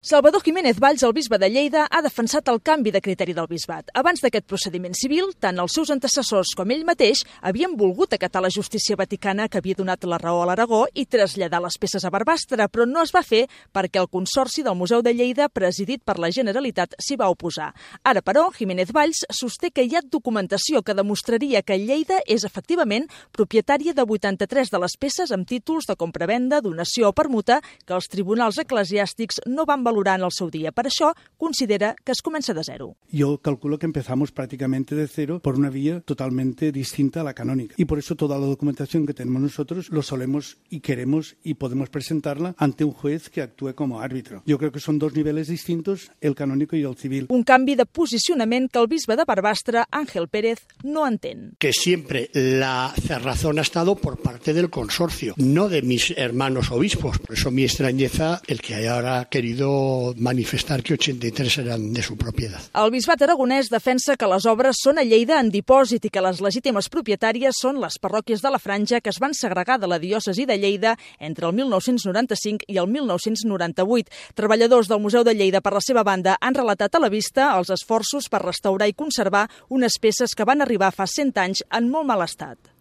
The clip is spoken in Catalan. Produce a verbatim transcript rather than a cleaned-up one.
Salvador Jiménez Valls, el bisbe de Lleida, ha defensat el canvi de criteri del bisbat. Abans d'aquest procediment civil, tant els seus antecessors com ell mateix havien volgut acatar la justícia vaticana que havia donat la raó a l'Aragó i traslladar les peces a Barbastre, però no es va fer perquè el Consorci del Museu de Lleida, presidit per la Generalitat, s'hi va oposar. Ara, però, Jiménez Valls sosté que hi ha documentació que demostraria que Lleida és efectivament propietària de vuitanta-tres de les peces amb títols de compravenda, donació o permuta que els tribunals eclesiàstics no van valorar en el seu dia. Per això, considera que es comença de zero. Yo calculo que empezamos prácticamente de cero por una vía totalmente distinta a la canónica. Y por eso toda la documentación que tenemos nosotros lo solemos y queremos y podemos presentarla ante un juez que actúe como árbitro. Yo creo que son dos niveles distintos, el canónico y el civil. Un canvi de posicionament que el bisbe de Barbastre, Ángel Pérez, no entén. Que siempre la cerrazón ha estado por parte del consorcio, no de mis hermanos obispos. Por eso mi extrañeza el que haya ahora querido manifestar que ochenta y tres eran de su propiedad. El bisbat aragonès defensa que les obres són a Lleida en dipòsit i que les legítimes propietàries són les parròquies de la Franja que es van segregar de la diòcesi de Lleida entre el mil nou-cents noranta-cinc i el mil nou-cents noranta-vuit. Treballadors del Museu de Lleida, per la seva banda, han relatat a la vista els esforços per restaurar i conservar unes peces que van arribar fa cent anys en molt mal estat.